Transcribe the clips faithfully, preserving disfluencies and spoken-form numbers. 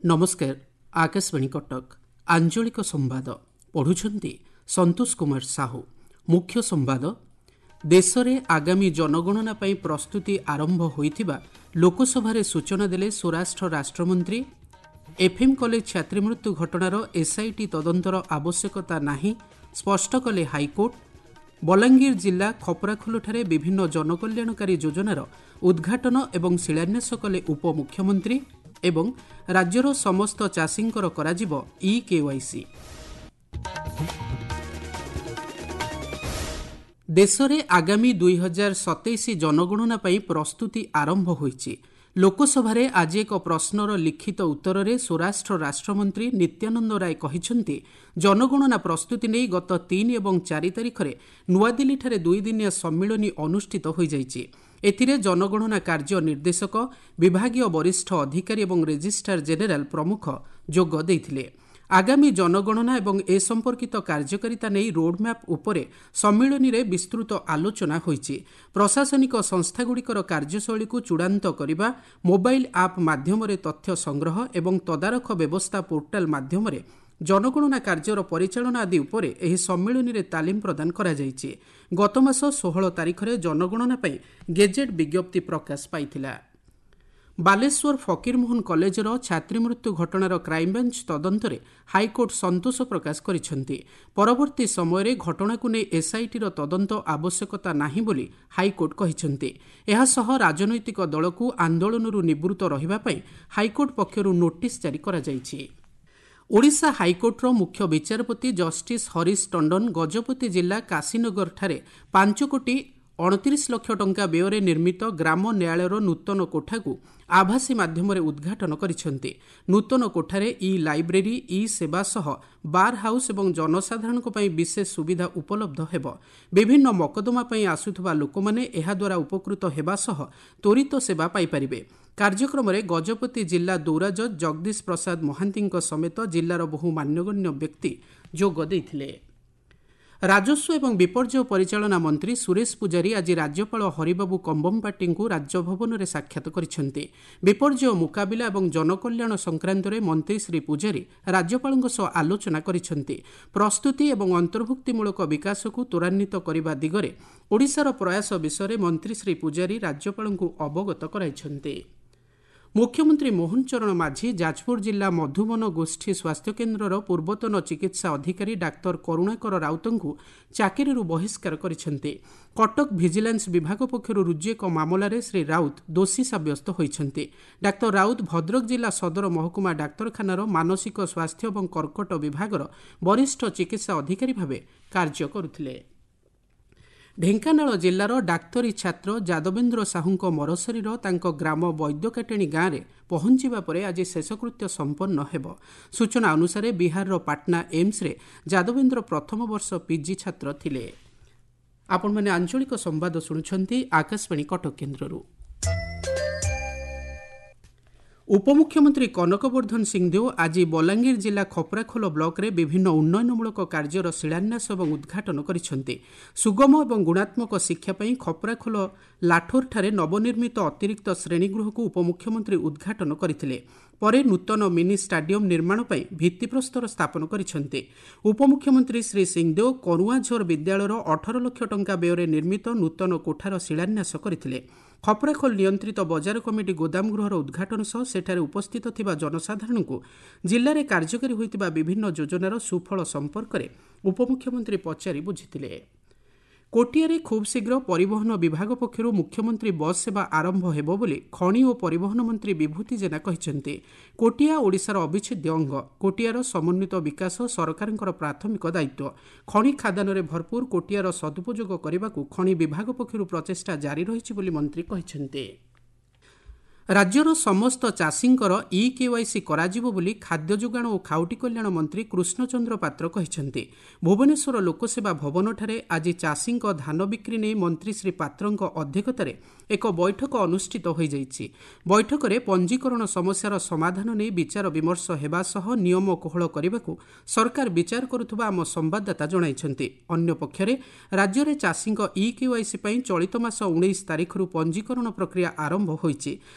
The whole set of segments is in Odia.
ନମସ୍କାର ଆକାଶବାଣୀ କଟକ ଆଞ୍ଚଳିକ ସମ୍ବାଦ ପଢୁଛନ୍ତି ସନ୍ତୋଷ କୁମାର ସାହୁ ମୁଖ୍ୟ ସମ୍ବାଦ ଦେଶରେ ଆଗାମୀ ଜନଗଣନା ପାଇଁ ପ୍ରସ୍ତୁତି ଆରମ୍ଭ ହୋଇଥିବା ଲୋକସଭାରେ ସୂଚନା ଦେଲେ ସ୍ୱରାଷ୍ଟ୍ର ରାଷ୍ଟ୍ରମନ୍ତ୍ରୀ ଏଫ୍ଏମ୍ କଲେଜ ଛାତ୍ରୀ ମୃତ୍ୟୁ ଘଟଣାର ଏସ୍ଆଇଟି ତଦନ୍ତର ଆବଶ୍ୟକତା ନାହିଁ ସ୍ପଷ୍ଟ କଲେ ହାଇକୋର୍ଟ ବଲାଙ୍ଗୀର ଜିଲ୍ଲା ଖପରାଖୋଲଠାରେ ବିଭିନ୍ନ ଜନକଲ୍ୟାଣକାରୀ ଯୋଜନାର ଉଦ୍ଘାଟନ ଏବଂ ଶିଳାନ୍ୟାସ କଲେ ଉପମୁଖ୍ୟମନ୍ତ୍ରୀ ଏବଂ ରାଜ୍ୟର ସମସ୍ତ ଚାଷୀଙ୍କର କରାଯିବ ଇ କେୱାଇସି ଦେଶରେ ଆଗାମୀ ଦୁଇ ହଜାର ସତେଇଶ ଜନଗଣନା ପାଇଁ ପ୍ରସ୍ତୁତି ଆରମ୍ଭ ହୋଇଛି ଲୋକସଭାରେ ଆଜି ଏକ ପ୍ରଶ୍ନର ଲିଖିତ ଉତ୍ତରରେ ସ୍ୱରାଷ୍ଟ୍ର ରାଷ୍ଟ୍ରମନ୍ତ୍ରୀ ନିତ୍ୟାନନ୍ଦ ରାୟ କହିଛନ୍ତି ଜନଗଣନା ପ୍ରସ୍ତୁତି ନେଇ ଗତ ତିନି ଏବଂ ଚାରି ତାରିଖରେ ନୂଆଦିଲ୍ଲୀଠାରେ ଦୁଇଦିନିଆ ସମ୍ମିଳନୀ ଅନୁଷ୍ଠିତ ହୋଇଯାଇଛି ଏଥିରେ ଜନଗଣନା କାର୍ଯ୍ୟ ନିର୍ଦ୍ଦେଶକ ବିଭାଗୀୟ ବରିଷ୍ଠ ଅଧିକାରୀ ଏବଂ ରେଜିଷ୍ଟ୍ରାର ଜେନେରାଲ ପ୍ରମୁଖ ଯୋଗ ଦେଇଥିଲେ ଆଗାମୀ ଜନଗଣନା ଏବଂ ଏ ସମ୍ପର୍କିତ କାର୍ଯ୍ୟକାରିତା ନେଇ ରୋଡ୍ମ୍ୟାପ୍ ଉପରେ ସମ୍ମିଳନୀରେ ବିସ୍ତୃତ ଆଲୋଚନା ହୋଇଛି ପ୍ରଶାସନିକ ସଂସ୍ଥାଗୁଡ଼ିକର କାର୍ଯ୍ୟଶୈଳୀକୁ ଚୂଡ଼ାନ୍ତ କରିବା ମୋବାଇଲ୍ ଆପ୍ ମାଧ୍ୟମରେ ତଥ୍ୟ ସଂଗ୍ରହ ଏବଂ ତଦାରଖ ବ୍ୟବସ୍ଥା ପୋର୍ଟାଲ ମାଧ୍ୟମରେ ଜନଗଣନା କାର୍ଯ୍ୟର ପରିଚାଳନା ଆଦି ଉପରେ ଏହି ସମ୍ମିଳନୀରେ ତାଲିମ ପ୍ରଦାନ କରାଯାଇଛି ଗତମାସ ଷୋହଳ ତାରିଖରେ ଜନଗଣନା ପାଇଁ ଗେଜେଟ୍ ବିଜ୍ଞପ୍ତି ପ୍ରକାଶ ପାଇଥିଲା ବାଲେଶ୍ୱର ଫକୀରମୋହନ କଲେଜର ଛାତ୍ରୀ ମୃତ୍ୟୁ ଘଟଣାର କ୍ରାଇମବ୍ରାଞ୍ଚ ତଦନ୍ତରେ ହାଇକୋର୍ଟ ସନ୍ତୋଷ ପ୍ରକାଶ କରିଛନ୍ତି ପରବର୍ତ୍ତୀ ସମୟରେ ଘଟଣାକୁ ନେଇ ଏସ୍ଆଇଟିର ତଦନ୍ତ ଆବଶ୍ୟକତା ନାହିଁ ବୋଲି ହାଇକୋର୍ଟ କହିଛନ୍ତି ଏହାସହ ରାଜନୈତିକ ଦଳକୁ ଆନ୍ଦୋଳନରୁ ନିବୃତ୍ତ ରହିବା ପାଇଁ ହାଇକୋର୍ଟ ପକ୍ଷରୁ ନୋଟିସ୍ ଜାରି କରାଯାଇଛି ଓଡ଼ିଶା ହାଇକୋର୍ଟର ମୁଖ୍ୟ ବିଚାରପତି ଜଷ୍ଟିସ୍ ହରିଶ ଟଣ୍ଡନ ଗଜପତି ଜିଲ୍ଲା କାଶୀନଗରଠାରେ ପାଞ୍ଚ କୋଟି ଅଣତିରିଶ ଲକ୍ଷ ଟଙ୍କା ବ୍ୟୟରେ ନିର୍ମିତ ଗ୍ରାମ ନ୍ୟାୟାଳୟର ନୂତନ କୋଠାକୁ ଆଭାସୀ ମାଧ୍ୟମରେ ଉଦ୍ଘାଟନ କରିଛନ୍ତି ନୂତନ କୋଠାରେ ଇ ଲାଇବ୍ରେରୀ ଇ ସେବା ସହ ବାର୍ ହାଉସ୍ ଏବଂ ଜନସାଧାରଣଙ୍କ ପାଇଁ ବିଶେଷ ସୁବିଧା ଉପଲବ୍ଧ ହେବ ବିଭିନ୍ନ ମକଦ୍ଦମା ପାଇଁ ଆସୁଥିବା ଲୋକମାନେ ଏହାଦ୍ୱାରା ଉପକୃତ ହେବା ସହ ତ୍ୱରିତ ସେବା ପାଇପାରିବେ କାର୍ଯ୍ୟକ୍ରମରେ ଗଜପତି ଜିଲ୍ଲା ଦୌରାଜଜ୍ ଜଗଦୀଶ ପ୍ରସାଦ ମହାନ୍ତିଙ୍କ ସମେତ ଜିଲ୍ଲାର ବହୁ ମାନ୍ୟଗଣ୍ୟ ବ୍ୟକ୍ତି ଯୋଗ ଦେଇଥିଲେ ରାଜସ୍ୱ ଏବଂ ବିପର୍ଯ୍ୟୟ ପରିଚାଳନା ମନ୍ତ୍ରୀ ସୁରେଶ ପୂଜାରୀ ଆଜି ରାଜ୍ୟପାଳ ହରିବାବୁ କମ୍ବମପାଟିଙ୍କୁ ରାଜଭବନରେ ସାକ୍ଷାତ କରିଛନ୍ତି ବିପର୍ଯ୍ୟୟ ମୁକାବିଲା ଏବଂ ଜନକଲ୍ୟାଣ ସଂକ୍ରାନ୍ତରେ ମନ୍ତ୍ରୀ ଶ୍ରୀ ପୂଜାରୀ ରାଜ୍ୟପାଳଙ୍କ ସହ ଆଲୋଚନା କରିଛନ୍ତି ପ୍ରସ୍ତୁତି ଏବଂ ଅନ୍ତର୍ଭୁକ୍ତିମୂଳକ ବିକାଶକୁ ତ୍ୱରାନ୍ୱିତ କରିବା ଦିଗରେ ଓଡ଼ିଶାର ପ୍ରୟାସ ବିଷୟରେ ମନ୍ତ୍ରୀ ଶ୍ରୀ ପୂଜାରୀ ରାଜ୍ୟପାଳଙ୍କୁ ଅବଗତ କରାଇଛନ୍ତି ମୁଖ୍ୟମନ୍ତ୍ରୀ ମୋହନ ଚରଣ ମାଝୀ ଯାଜପୁର ଜିଲ୍ଲା ମଧୁବନ ଗୋଷ୍ଠୀ ସ୍ୱାସ୍ଥ୍ୟକେନ୍ଦ୍ରର ପୂର୍ବତନ ଚିକିତ୍ସା ଅଧିକାରୀ ଡାକ୍ତର କରୁଣାକର ରାଉତଙ୍କୁ ଚାକିରିରୁ ବହିଷ୍କାର କରିଛନ୍ତି କଟକ ଭିଜିଲାନ୍ସ ବିଭାଗ ପକ୍ଷରୁ ରୁଜୁ ଏକ ମାମଲାରେ ଶ୍ରୀ ରାଉତ ଦୋଷୀ ସାବ୍ୟସ୍ତ ହୋଇଛନ୍ତି ଡାକ୍ତର ରାଉତ ଭଦ୍ରକ ଜିଲ୍ଲା ସଦର ମହକୁମା ଡାକ୍ତରଖାନାର ମାନସିକ ସ୍ୱାସ୍ଥ୍ୟ ଏବଂ କର୍କଟ ବିଭାଗର ବରିଷ୍ଠ ଚିକିତ୍ସା ଅଧିକାରୀ ଭାବେ କାର୍ଯ୍ୟ କରୁଥିଲେ ଢେଙ୍କାନାଳ ଜିଲ୍ଲାର ଡାକ୍ତରୀ ଛାତ୍ର ଯାଦବେନ୍ଦ୍ର ସାହୁଙ୍କ ମରଶରୀର ତାଙ୍କ ଗ୍ରାମ ବୈଦ୍ୟକାଟେଣୀ ଗାଁରେ ପହଞ୍ଚିବା ପରେ ଆଜି ଶେଷକୃତ୍ୟ ସମ୍ପନ୍ନ ହେବ ସୂଚନା ଅନୁସାରେ ବିହାରର ପାଟନା ଏମ୍ସରେ ଯାଦବେନ୍ଦ୍ର ପ୍ରଥମ ବର୍ଷ ପିଜି ଛାତ୍ର ଥିଲେ ଆପଣମାନେ ଆଞ୍ଚଳିକ ସମ୍ବାଦ ଶୁଣୁଛନ୍ତି ଆକାଶବାଣୀ କଟକ କେନ୍ଦ୍ରରୁ ଉପମୁଖ୍ୟମନ୍ତ୍ରୀ କନକ ବର୍ଦ୍ଧନ ସିଂଦେଓ ଆଜି ବଲାଙ୍ଗୀର ଜିଲ୍ଲା ଖପରାଖୋଲ ବ୍ଲକରେ ବିଭିନ୍ନ ଉନ୍ନୟନମୂଳକ କାର୍ଯ୍ୟର ଶିଳାନ୍ୟାସ ଏବଂ ଉଦ୍ଘାଟନ କରିଛନ୍ତି ସୁଗମ ଏବଂ ଗୁଣାତ୍ମକ ଶିକ୍ଷା ପାଇଁ ଖପରାଖୋଲ ଲାଠୋରଠାରେ ନବନିର୍ମିତ ଅତିରିକ୍ତ ଶ୍ରେଣୀଗୃହକୁ ଉପମୁଖ୍ୟମନ୍ତ୍ରୀ ଉଦ୍ଘାଟନ କରିଥିଲେ ପରେ ନୂତନ ମିନି ଷ୍ଟାଡିୟମ୍ ନିର୍ମାଣ ପାଇଁ ଭିତ୍ତିପ୍ରସ୍ତର ସ୍ଥାପନ କରିଛନ୍ତି ଉପମୁଖ୍ୟମନ୍ତ୍ରୀ ଶ୍ରୀ ସିଂଦେଓ କରୁଆଁଝର ବିଦ୍ୟାଳୟର ଅଠର ଲକ୍ଷ ଟଙ୍କା ବ୍ୟୟରେ ନିର୍ମିତ ନୂତନ କୋଠାର ଶିଳାନ୍ୟାସ କରିଥିଲେ ଖପରାଖୋଲ ନିୟନ୍ତ୍ରିତ ବଜାର କମିଟି ଗୋଦାମ ଗୃହର ଉଦ୍ଘାଟନ ସହ ସେଠାରେ ଉପସ୍ଥିତ ଥିବା ଜନସାଧାରଣଙ୍କୁ ଜିଲ୍ଲାରେ କାର୍ଯ୍ୟକାରୀ ହୋଇଥିବା ବିଭିନ୍ନ ଯୋଜନାର ସୁଫଳ ସମ୍ପର୍କରେ ଉପମୁଖ୍ୟମନ୍ତ୍ରୀ ପଚାରି ବୁଝିଥିଲେ କୋଟିଆରେ ଖୁବ୍ ଶୀଘ୍ର ପରିବହନ ବିଭାଗ ପକ୍ଷରୁ ମୁଖ୍ୟମନ୍ତ୍ରୀ ବସ୍ ସେବା ଆରମ୍ଭ ହେବ ବୋଲି ଖଣି ଓ ପରିବହନ ମନ୍ତ୍ରୀ ବିଭୂତି ଜେନା କହିଛନ୍ତି କୋଟିଆ ଓଡ଼ିଶାର ଅବିଚ୍ଛେଦ୍ୟ ଅଙ୍ଗ କୋଟିଆର ସମନ୍ୱିତ ବିକାଶ ସରକାରଙ୍କର ପ୍ରାଥମିକ ଦାୟିତ୍ୱ ଖଣି ଖାଦାନରେ ଭରପୁର କୋଟିଆର ସଦୁପଯୋଗ କରିବାକୁ ଖଣି ବିଭାଗ ପକ୍ଷରୁ ପ୍ରଚେଷ୍ଟା ଜାରି ରହିଛି ବୋଲି ମନ୍ତ୍ରୀ କହିଛନ୍ତି ରାଜ୍ୟର ସମସ୍ତ ଚାଷୀଙ୍କର ଇ କେୱାଇସି କରାଯିବ ବୋଲି ଖାଦ୍ୟ ଯୋଗାଣ ଓ ଖାଉଟି କଲ୍ୟାଣ ମନ୍ତ୍ରୀ କୃଷ୍ଣଚନ୍ଦ୍ର ପାତ୍ର କହିଛନ୍ତି ଭୁବନେଶ୍ୱର ଲୋକସେବା ଭବନଠାରେ ଆଜି ଚାଷୀଙ୍କ ଧାନ ବିକ୍ରି ନେଇ ମନ୍ତ୍ରୀ ଶ୍ରୀ ପାତ୍ରଙ୍କ ଅଧ୍ୟକ୍ଷତାରେ ଏକ ବୈଠକ ଅନୁଷ୍ଠିତ ହୋଇଯାଇଛି ବୈଠକରେ ପଞ୍ଜୀକରଣ ସମସ୍ୟାର ସମାଧାନ ନେଇ ବିଚାର ବିମର୍ଶ ହେବା ସହ ନିୟମ କୋହଳ କରିବାକୁ ସରକାର ବିଚାର କରୁଥିବା ଆମ ସମ୍ବାଦଦାତା ଜଣାଇଛନ୍ତି ଅନ୍ୟପକ୍ଷରେ ରାଜ୍ୟରେ ଚାଷୀଙ୍କ ଇ କେୱାଇସି ପାଇଁ ଚଳିତ ମାସ ଉଣେଇଶ ତାରିଖରୁ ପଞ୍ଜୀକରଣ ପ୍ରକ୍ରିୟା ଆରମ୍ଭ ହୋଇଛି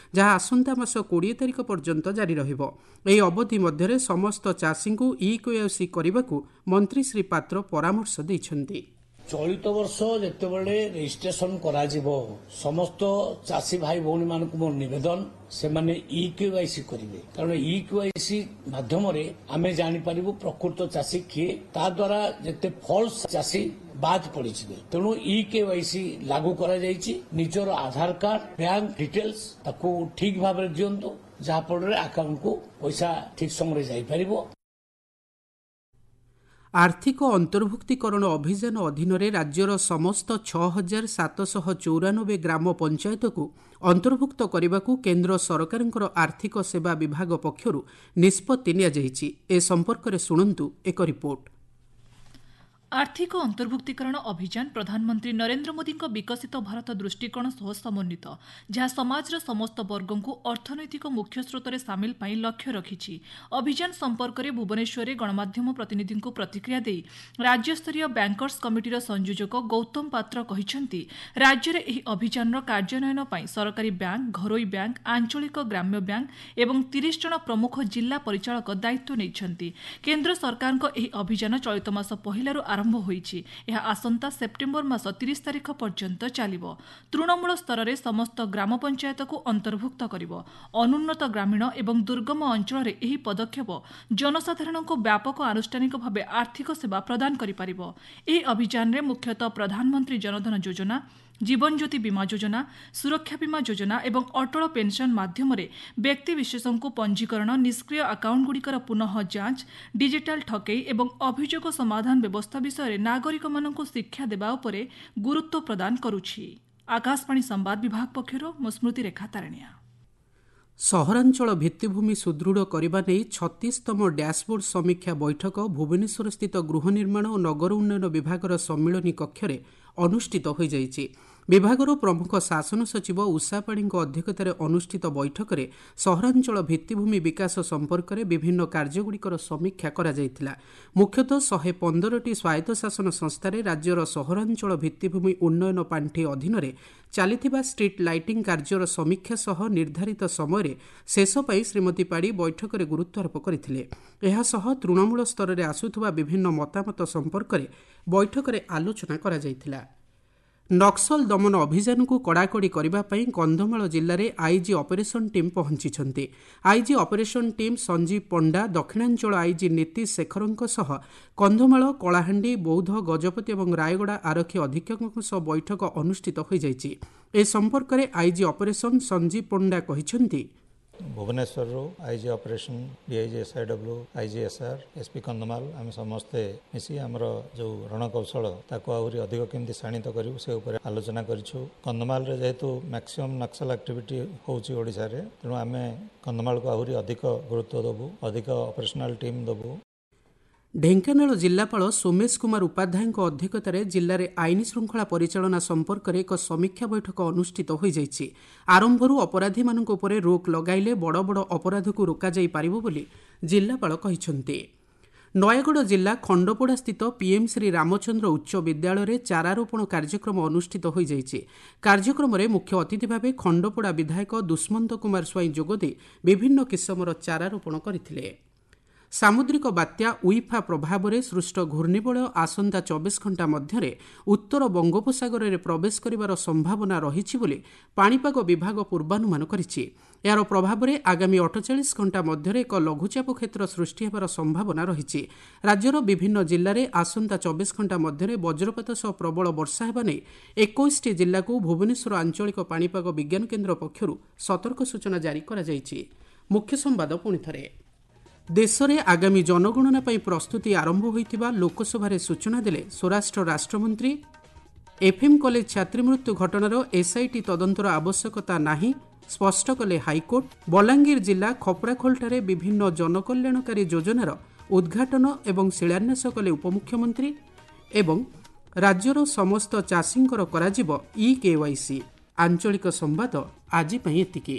ଯାହା ଆସନ୍ତା ମାସ କୋଡ଼ିଏ ତାରିଖ ପର୍ଯ୍ୟନ୍ତ ଜାରି ରହିବ। ଏହି ଅବଧି ମଧ୍ୟରେ ସମସ୍ତ ଚାଷୀଙ୍କୁ ଇ କେୱାଇସି କରିବାକୁ ମନ୍ତ୍ରୀ ଶ୍ରୀ ପାତ୍ର ପରାମର୍ଶ ଦେଇଛନ୍ତି। ଚଳିତ ବର୍ଷ ଯେତେବେଳେ ରେଜିଷ୍ଟ୍ରେସନ କରାଯିବ, ସମସ୍ତ ଚାଷୀ ଭାଇ ଭଉଣୀମାନଙ୍କୁ ମୋର ନିବେଦନ, ସେମାନେ ଇ କେୱାଇସି କରିବେ। କାରଣ ଇ କେୱାଇସି ମାଧ୍ୟମରେ ଆମେ ଜାଣିପାରିବୁ ପ୍ରକୃତ ଚାଷୀ କିଏ। ତା ଦ୍ୱାରା ଯେତେ ଫଲ୍ସ ଚାଷୀ ବାଦ ପଡ଼ିଯିବେ। ତେଣୁ ଇ କେୱାଇସି ଲାଗୁ କରାଯାଇଛି। ନିଜର ଆଧାର କାର୍ଡ, ବ୍ୟାଙ୍କ ଡିଟେଲ୍ସ ତାକୁ ଠିକ ଭାବରେ ଦିଅନ୍ତୁ, ଯାହାଫଳରେ ଆକାଉଣ୍ଟକୁ ପଇସା ଠିକ ସମୟରେ ଯାଇପାରିବ। ଆର୍ଥିକ ଅନ୍ତର୍ଭୁକ୍ତୀକରଣ ଅଭିଯାନ ଅଧୀନରେ ରାଜ୍ୟର ସମସ୍ତ ଛଅ ହଜାର ସାତଶହ ଚଉରାନବେ ଗ୍ରାମ ପଞ୍ଚାୟତକୁ ଅନ୍ତର୍ଭୁକ୍ତ କରିବାକୁ କେନ୍ଦ୍ର ସରକାରଙ୍କର ଆର୍ଥିକ ସେବା ବିଭାଗ ପକ୍ଷରୁ ନିଷ୍ପତ୍ତି ନିଆଯାଇଛି। ଏ ସମ୍ପର୍କରେ ଶୁଣନ୍ତୁ ଏକ ରିପୋର୍ଟ। ଆର୍ଥିକ ଅନ୍ତର୍ଭୁକ୍ତୀକରଣ ଅଭିଯାନ ପ୍ରଧାନମନ୍ତ୍ରୀ ନରେନ୍ଦ୍ର ମୋଦିଙ୍କ ବିକଶିତ ଭାରତ ଦୃଷ୍ଟିକୋଣ ସହ ସମନ୍ୱିତ, ଯାହା ସମାଜର ସମସ୍ତ ବର୍ଗଙ୍କୁ ଅର୍ଥନୈତିକ ମୁଖ୍ୟସ୍ରୋତରେ ସାମିଲ ପାଇଁ ଲକ୍ଷ୍ୟ ରଖିଛି। ଅଭିଯାନ ସମ୍ପର୍କରେ ଭୁବନେଶ୍ୱରରେ ଗଣମାଧ୍ୟମ ପ୍ରତିନିଧିଙ୍କୁ ପ୍ରତିକ୍ରିୟା ଦେଇ ରାଜ୍ୟସ୍ତରୀୟ ବ୍ୟାଙ୍କର୍ସ କମିଟିର ସଂଯୋଜକ ଗୌତମ ପାତ୍ର କହିଛନ୍ତି, ରାଜ୍ୟରେ ଏହି ଅଭିଯାନର କାର୍ଯ୍ୟାନ୍ୱୟନ ପାଇଁ ସରକାରୀ ବ୍ୟାଙ୍କ, ଘରୋଇ ବ୍ୟାଙ୍କ, ଆଞ୍ଚଳିକ ଗ୍ରାମ୍ୟ ବ୍ୟାଙ୍କ ଏବଂ ତିରିଶ ଜଣ ପ୍ରମୁଖ ଜିଲ୍ଲା ପରିଚାଳକ ଦାୟିତ୍ୱ ନେଇଛନ୍ତି। କେନ୍ଦ୍ର ସରକାରଙ୍କ ଏହି ଅଭିଯାନ ଚଳିତ ମାସ ପହିଲାରୁ ଆରମ୍ଭ ହୋଇଛି। ଏହା ଆସନ୍ତା ସେପ୍ଟେମ୍ବର ମାସ ତିରିଶ ତାରିଖ ପର୍ଯ୍ୟନ୍ତ ଚାଲିବ। ତୃଣମୂଳ ସ୍ତରରେ ସମସ୍ତ ଗ୍ରାମ ପଞ୍ଚାୟତକୁ ଅନ୍ତର୍ଭୁକ୍ତ କରିବ। ଅନୁନ୍ନତ ଗ୍ରାମୀଣ ଏବଂ ଦୁର୍ଗମ ଅଞ୍ଚଳରେ ଏହି ପଦକ୍ଷେପ ଜନସାଧାରଣଙ୍କୁ ବ୍ୟାପକ ଆନୁଷ୍ଠାନିକ ଭାବେ ଆର୍ଥିକ ସେବା ପ୍ରଦାନ କରିପାରିବ। ଏହି ଅଭିଯାନରେ ମୁଖ୍ୟତଃ ପ୍ରଧାନମନ୍ତ୍ରୀ ଜନଧନ ଯୋଜନା, ଜୀବନଜ୍ୟୋତି ବୀମା ଯୋଜନା, ସୁରକ୍ଷା ବୀମା ଯୋଜନା ଏବଂ ଅଟଳ ପେନ୍ସନ୍ ମାଧ୍ୟମରେ ବ୍ୟକ୍ତିବିଶେଷଙ୍କୁ ପଞ୍ଜୀକରଣ, ନିଷ୍କ୍ରିୟ ଆକାଉଣ୍ଟଗୁଡ଼ିକର ପୁନଃ ଯାଞ୍ଚ, ଡିଜିଟାଲ ଠକେଇ ଏବଂ ଅଭିଯୋଗ ସମାଧାନ ବ୍ୟବସ୍ଥା ବିଷୟରେ ନାଗରିକମାନଙ୍କୁ ଶିକ୍ଷା ଦେବା ଉପରେ ଗୁରୁତ୍ୱ ପ୍ରଦାନ କରୁଛି। ଆକାଶବାଣୀ ସମ୍ବାଦ ବିଭାଗ ପକ୍ଷରୁ ମୁଁ ସ୍ମୃତିରେଖା ତାରଣିଆ। ସହରାଞ୍ଚଳ ଭିତ୍ତିଭୂମି ସୁଦୃଢ଼ କରିବା ନେଇ ଛତିଶତମ ଡ୍ୟାସବୋର୍ଡ ସମୀକ୍ଷା ବୈଠକ ଭୁବନେଶ୍ୱରସ୍ଥିତ ଗୃହ ନିର୍ମାଣ ଓ ନଗର ଉନ୍ନୟନ ବିଭାଗର ସମ୍ମିଳନୀ କକ୍ଷରେ ଅନୁଷ୍ଠିତ ହୋଇଯାଇଛି। ବିଭାଗର ପ୍ରମୁଖ ଶାସନ ସଚିବ ଉଷା ପାଢ଼ୀଙ୍କ ଅଧ୍ୟକ୍ଷତାରେ ଅନୁଷ୍ଠିତ ବୈଠକରେ ସହରାଞ୍ଚଳ ଭିତ୍ତିଭୂମି ବିକାଶ ସମ୍ପର୍କରେ ବିଭିନ୍ନ କାର୍ଯ୍ୟଗୁଡ଼ିକର ସମୀକ୍ଷା କରାଯାଇଥିଲା। ମୁଖ୍ୟତଃ ଶହେ ପନ୍ଦରଟି ସ୍ୱାୟତ୍ତଶାସନ ସଂସ୍ଥାରେ ରାଜ୍ୟର ସହରାଞ୍ଚଳ ଭିତ୍ତିଭୂମି ଉନ୍ନୟନ ପାଣ୍ଠି ଅଧୀନରେ ଚାଲିଥିବା ଷ୍ଟ୍ରିଟ୍ ଲାଇଟିଂ କାର୍ଯ୍ୟର ସମୀକ୍ଷା ସହ ନିର୍ଦ୍ଧାରିତ ସମୟରେ ଶେଷ ପାଇଁ ଶ୍ରୀମତୀ ପାଢ଼ୀ ବୈଠକରେ ଗୁରୁତ୍ୱାରୋପ କରିଥିଲେ। ଏହାସହ ତୃଣମୂଳ ସ୍ତରରେ ଆସୁଥିବା ବିଭିନ୍ନ ମତାମତ ସମ୍ପର୍କରେ ବୈଠକରେ ଆଲୋଚନା କରାଯାଇଥିଲା। ନକ୍ସଲ ଦମନ ଅଭିଯାନକୁ କଡ଼ାକଡ଼ି କରିବା ପାଇଁ କନ୍ଧମାଳ ଜିଲ୍ଲାରେ ଆଇଜି ଅପରେସନ୍ ଟିମ୍ ପହଞ୍ଚିଛନ୍ତି। IG operation team Sanjeev Panda, ଦକ୍ଷିଣାଞ୍ଚଳ ଆଇଜି ନୀତିଶ ଶେଖରଙ୍କ ସହ କନ୍ଧମାଳ, କଳାହାଣ୍ଡି, ବୌଦ୍ଧ, ଗଜପତି ଏବଂ ରାୟଗଡ଼ା ଆରକ୍ଷୀ ଅଧୀକ୍ଷକଙ୍କ ସହ ବୈଠକ ଅନୁଷ୍ଠିତ ହୋଇଯାଇଛି। ଏ ସମ୍ପର୍କରେ ଆଇଜି ଅପରେସନ୍ ସଞ୍ଜୀବ ପଣ୍ଡା କହିଛନ୍ତି, ଭୁବନେଶ୍ୱରରୁ IG operation, DIG SIW, IG SR, SP Kandhamal, ଆମେ ସମସ୍ତେ ମିଶି ଆମର ଯେଉଁ ରଣକୌଶଳ ତାକୁ ଆହୁରି ଅଧିକ କେମିତି ଶାଣିତ କରିବୁ ସେ ଉପରେ ଆଲୋଚନା କରିଛୁ। କନ୍ଧମାଳରେ ଯେହେତୁ ମ୍ୟାକ୍ସିମମ୍ ନକ୍ସଲ ଆକ୍ଟିଭିଟି ହେଉଛି ଓଡ଼ିଶାରେ, ତେଣୁ ଆମେ କନ୍ଧମାଳକୁ ଆହୁରି ଅଧିକ ଗୁରୁତ୍ୱ ଦେବୁ, ଅଧିକ ଅପରେସନାଲ ଟିମ୍ ଦେବୁ। ଢେଙ୍କାନାଳ ଜିଲ୍ଲାପାଳ ସୋମେଶ କୁମାର ଉପାଧ୍ୟାୟଙ୍କ ଅଧ୍ୟକ୍ଷତାରେ ଜିଲ୍ଲାରେ ଆଇନ ଶୃଙ୍ଖଳା ପରିଚାଳନା ସମ୍ପର୍କରେ ଏକ ସମୀକ୍ଷା ବୈଠକ ଅନୁଷ୍ଠିତ ହୋଇଯାଇଛି। ଆରମ୍ଭରୁ ଅପରାଧୀମାନଙ୍କ ଉପରେ ରୋକ୍ ଲଗାଇଲେ ବଡ଼ ବଡ଼ ଅପରାଧକୁ ରୋକାଯାଇ ପାରିବ ବୋଲି ଜିଲ୍ଲାପାଳ କହିଛନ୍ତି। ନୟାଗଡ଼ ଜିଲ୍ଲା ଖଣ୍ଡପଡ଼ାସ୍ଥିତ ପିଏମ୍ ଶ୍ରୀ ରାମଚନ୍ଦ୍ର ଉଚ୍ଚ ବିଦ୍ୟାଳୟରେ ଚାରାରୋପଣ କାର୍ଯ୍ୟକ୍ରମ ଅନୁଷ୍ଠିତ ହୋଇଯାଇଛି। କାର୍ଯ୍ୟକ୍ରମରେ ମୁଖ୍ୟ ଅତିଥି ଭାବେ ଖଣ୍ଡପଡ଼ା ବିଧାୟକ ଦୁଷ୍ମନ୍ତ କୁମାର ସ୍ୱାଇଁ ଯୋଗଦେଇ ବିଭିନ୍ନ କିସମର ଚାରାରୋପଣ କରିଥିଲେ। ସାମୁଦ୍ରିକ ବାତ୍ୟା ଉଇଫା ପ୍ରଭାବରେ ସୃଷ୍ଟ ଘୂର୍ଣ୍ଣିବଳୟ ଆସନ୍ତା ଚବିଶ ଘଣ୍ଟା ମଧ୍ୟରେ ଉତ୍ତର ବଙ୍ଗୋପସାଗରରେ ପ୍ରବେଶ କରିବାର ସମ୍ଭାବନା ରହିଛି ବୋଲି ପାଣିପାଗ ବିଭାଗ ପୂର୍ବାନୁମାନ କରିଛି। ଏହାର ପ୍ରଭାବରେ ଆଗାମୀ ଅଠଚାଳିଶ ଘଣ୍ଟା ମଧ୍ୟରେ ଏକ ଲଘୁଚାପ କ୍ଷେତ୍ର ସୃଷ୍ଟି ହେବାର ସମ୍ଭାବନା ରହିଛି। ରାଜ୍ୟର ବିଭିନ୍ନ ଜିଲ୍ଲାରେ ଆସନ୍ତା ଚବିଶ ଘଣ୍ଟା ମଧ୍ୟରେ ବଜ୍ରପାତ ସହ ପ୍ରବଳ ବର୍ଷା ହେବା ନେଇ ଏକୋଇଶଟି ଜିଲ୍ଲାକୁ ଭୁବନେଶ୍ୱର ଆଞ୍ଚଳିକ ପାଣିପାଗ ବିଜ୍ଞାନ କେନ୍ଦ୍ର ପକ୍ଷରୁ ସତର୍କ ସୂଚନା ଜାରି କରାଯାଇଛି। ମୁଖ୍ୟ ସମ୍ବାଦ ପୁଣିଥରେ। ଦେଶରେ ଆଗାମୀ ଜନଗଣନା ପାଇଁ ପ୍ରସ୍ତୁତି ଆରମ୍ଭ ହୋଇଥିବା ଲୋକସଭାରେ ସୂଚନା ଦେଲେ ସ୍ୱରାଷ୍ଟ୍ର ରାଷ୍ଟ୍ରମନ୍ତ୍ରୀ। ଏଫ୍ଏମ୍ କଲେଜ ଛାତ୍ରୀ ମୃତ୍ୟୁ ଘଟଣାର ଏସ୍ଆଇଟି ତଦନ୍ତର ଆବଶ୍ୟକତା ନାହିଁ ସ୍ପଷ୍ଟ କଲେ ହାଇକୋର୍ଟ। ବଲାଙ୍ଗୀର ଜିଲ୍ଲା ଖପରାଖୋଲଠାରେ ବିଭିନ୍ନ ଜନକଲ୍ୟାଣକାରୀ ଯୋଜନାର ଉଦ୍ଘାଟନ ଏବଂ ଶିଳାନ୍ୟାସ କଲେ ଉପମୁଖ୍ୟମନ୍ତ୍ରୀ। ଏବଂ ରାଜ୍ୟର ସମସ୍ତ ଚାଷୀଙ୍କର କରାଯିବ ଇ କେୱାଇସି। ଆଞ୍ଚଳିକ ସମ୍ବାଦ ଆଜି ପାଇଁ ଏତିକି।